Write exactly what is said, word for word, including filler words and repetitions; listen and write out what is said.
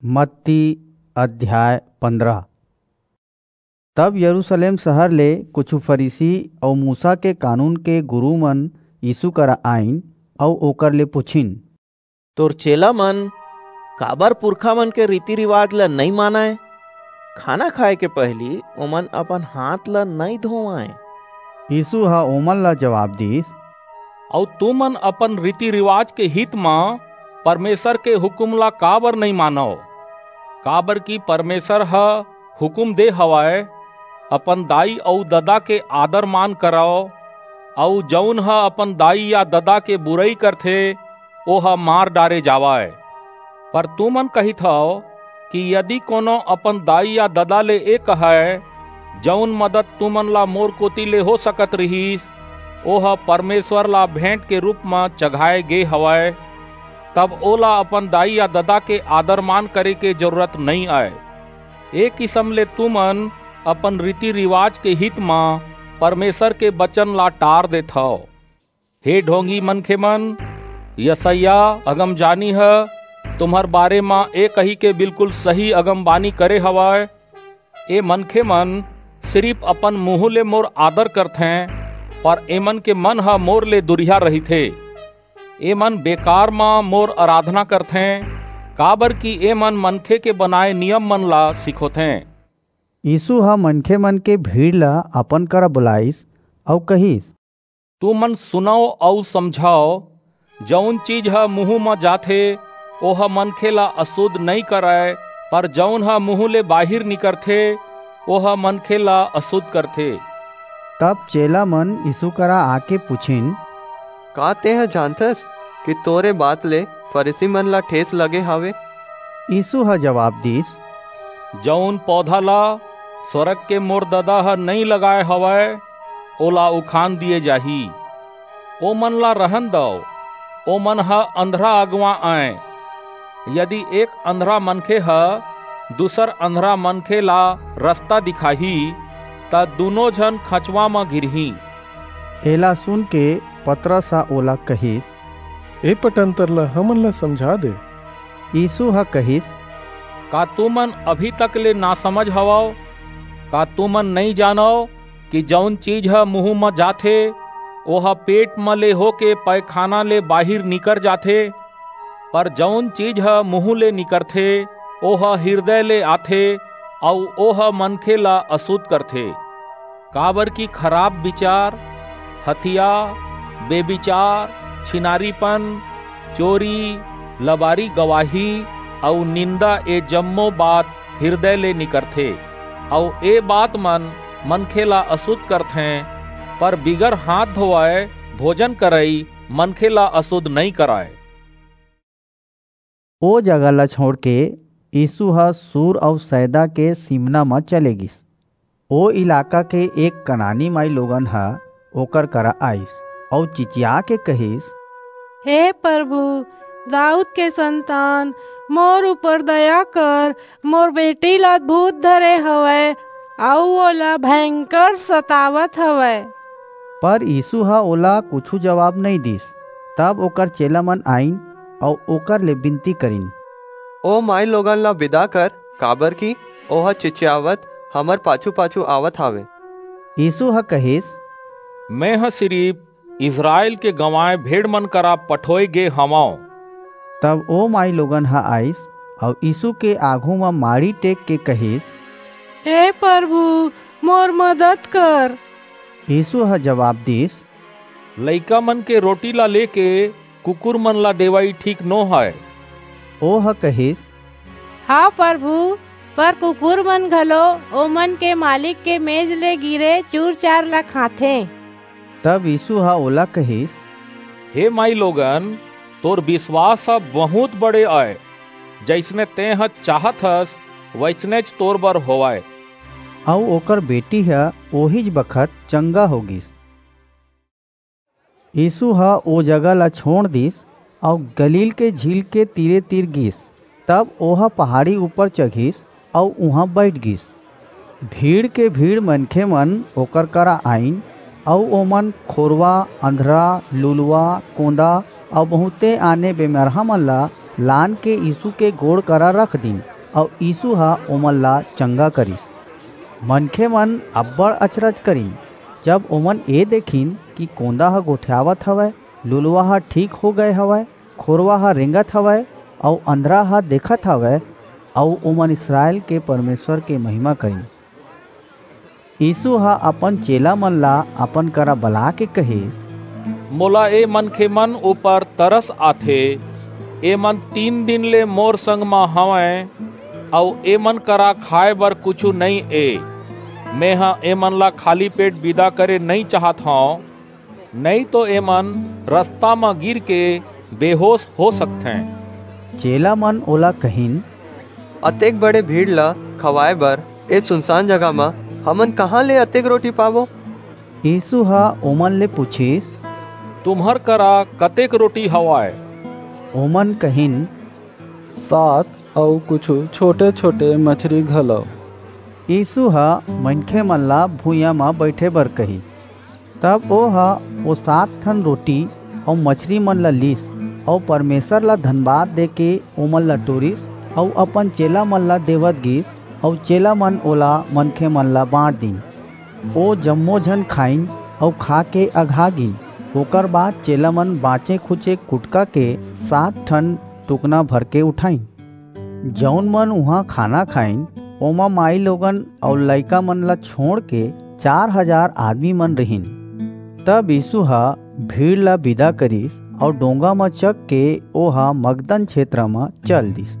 मत्ती अध्याय पन्द्रह। तब यरूशलेम शहर ले कुछु फरीसी अऊ मूसा के कानून के गुरू मन यीशु करा आईन अऊ ओकर ले पुछिन, "तोर चेला मन काबर पुरखा मन के रीति रिवाज ल नइ मानय? खाना खाए के पहिली ओमन अपन हाथ ल नइ धोवंय।" यीशु ह ओमन ला जवाब दीस, "अऊ तुमन अपन रीति रिवाज के हित म परमेसर के हुकूम ला काबर नइ मानव? काबरकि परमेसर ह हुकूम दे हवय, 'अपन दाई अऊ ददा के आदर मान करव, अऊ जऊन ह अपन दाई या ददा के बुरई करथे, ओह मार डारे जावय।' पर तुमन कहिथव कि यदि कोनो अपन दाई या ददा ले ए कहय, 'जऊन मदद तुमन ला मोर कोति ले हो सकत रिहिस, ओह परमेसर ला भेंट के रूप म चघाय गे हवय,' तब ओला अपन दाई या ददा के आदर मान करे के जरूरत नइं अय। ए किसम ले तुमन अपन रीति रिवाज के हित म परमेसर के बचन ला टार देथव। हे ढोंगी मनखे मन, यसायाह अगमजानी ह तुम्हर बारे म ए कहिके बिल्कुल सही अगमबानी करे हवय, ए मनखे मन सिरिप अपन मुहूं ले मोर आदर करथें, पर एमन के मन ह मोर ले दुरिहा रहिथे। एमन बेकार म मोर अराधना करथें, काबरकि एमन मनखे के बनाय नियम मन ला सिखोथें। यीसू ह मनखे मन के भीड़ ला अपन करा बुलाईस अऊ कहिस, तुमन सुनव अऊ समझव, जऊन चीज ह मुहूं म जाथे, ओह मनखे ला असुध नइं करय, पर जऊन ह मुहूं ले बाहिर निकरथे, ओह मनखे ला असुध करथे। तब चेला मन यीसू करा आके पुछिन, का तेंह जानथस कि तोर ए बात ले फरीसी मन ला ठेस लगे हावय? यीसू ह जवाब दीस, जऊन पौधा ला स्वरग के मोर ददा ह नइं लगाय हवय, ओला उखान दिये जाही। ओमन ला रहन दव, ओमन ह अंधरा अगवा अंय। यदि एक अंधरा मनखे ह दूसर अंधरा मनखे ला रसता दिखाही, त दूनों झन खंचवा म गिरहीं। एला सुनके पतरस ह ओला कहिस, ए पटंतर ला हमन ला समझा दे। यीसू ह कहिस, का तुमन अभी तक ले नासमझ हवव? का तुमन नइं जानव कि जऊन चीज ह मुहूं म जाथे, ओह पेट म ले होके पैखाना ले बाहिर निकर जाथे? पर जऊन चीज ह मुहूं ले निकरथे, ओह हिरदय ले आथे अऊ ओह मनखे ला असुध करथे। काबरकि खराप बिचार, हथिया, बेबिचार, छिनारीपन, चोरी, लबारी गवाही अऊ निंदा, ए जम्मो बात हिरदय ले निकरथे, अऊ ए बात मन मनखे ला असुध करथें, पर बिगर हांथ धोवय भोजन करई मनखे ला असुध नइं करय। ओ जगह ला छोंड़के यीसू ह सूर अऊ सैदा के सीमना म चले गीस। ओ इलाका के एक कनानी माईलोगन ह ओकर करा आईस अऊ चिचियाके कहिस, हे परभू, दाऊद के संतान, मोर ऊपर दया कर, मोर बेटी ला भूत धरे हवय अऊ ओला भयंकर सतावत हवय। पर यीसू ह ओला कुछू जबाब नइं दीस। तब ओकर चेला मन आईन अऊ ओकर ले बिनती करिन, ओ माईलोगन ला बिदा कर, काबरकि ओह चिचियावत हमर पाछू-पाछू आवत हावय। यीसू ह कहिस, मेंह सिरिप इसरायल के गंवाय भेड़ मन करा पठोय गे हवंव। तब ओ माईलोगन ह आईस अऊ यीसू के आघू म माड़ी टेकके कहिस, हे परभू, मोर मदद कर। यीसू ह जबाब दीस, लइका मन के रोटी ला लेके कुकुर मन ला देवई ठीक नो हय। ओह कहिस, हां परभू, पर कुकुर मन घलो ओमन के मालिक के मेज ले गिरे चूर-चार ला खाथें। तब यीसू ह ओला कहिस, हे माईलोगन, तोर बिसवास ह बहुंत बड़े अय, जइसने तेंह चाहत हस, वइसनेच तोर बर होवय। अऊ ओकर बेटी ह ओहीच बखत चंगा हो गीस। यीसू ह ओ जगह ला छोंड़ दीस अऊ गलील के झील के तीरे-तीर गीस। तब ओह पहाड़ी ऊपर चघिस अऊ उहां बईठ गीस। भीड़ के भीड़ मनखे मन ओकर करा आईन अऊ ओमन खोरवा, अंधरा, लुलवा, कोंदा अऊ बहुंते आने बेमरहा मन ला लानके यीसू के गोड़ करा रख दीन। अऊ यीसू ह ओमन ला चंगा करिस। मनखेमन अब्बड़ अचरज करिन, जब ओमन ए देखिन कि कोंदा ह गोठियावत हवय, लुलवा ह ठीक हो गय हवय, खोरवा ह रेंगत हवय, अऊ अंधरा ह देखत हवय, अऊ ओमन इसरायल के परमेसर के महिमा करिन। यीसू ह अपन चेलामन ला अपन करा बलाके कहिस, मोला ए मनखेमन ऊपर तरस आथे। एमन तीन दिन ले मोर संग म हवंय, अऊ एमन करा खाय बर कुछू नइं ए। मेंह एमन ला खाली पेट बिदा करे नइं चाहत हंव, नइं तो एमन रसता म गिरके बेहोस हो सकथें। चेलामन ओला कहिन, अतेक बड़े भीड़ ला खवाय बर ए सुनसान जगह म हमन कहां ले अतेक रोटी पाबो? यीसू ह ओमन ले पुछिस, तुम्हर करा कतेक रोटी हवय? ओमन कहिन, सात, अऊ कुछू छोटे-छोटे मछरी घलो। यीसू ह मनखेमन ला भुइयां म बईठे बर कहिस। तब ओह ओ सात ठन रोटी अऊ मछरीमन ला लीस, अऊ परमेसर ला धनबाद देके ओमन ला टोरिस, अऊ अपन चेलामन ला देवत गीस, अऊ चेलामन ओला मनखेमन ला बांट दीन। ओ जम्मो झन खाईन, अऊ खाके अघा गीन। ओकर बाद चेलामन बांचे-खुचे कुटका के सात ठन टुकना भरके उठाईन। जऊन मन उहां खाना खाईन, ओमा माईलोगन अऊ लइकामन ला छोंड़के चार हजार आदमीमन रिहिन। तब यीसू ह भीड़ ला बिदा करिस अऊ डोंगा म चघके ओह मगदन छेत्र म चल दीस।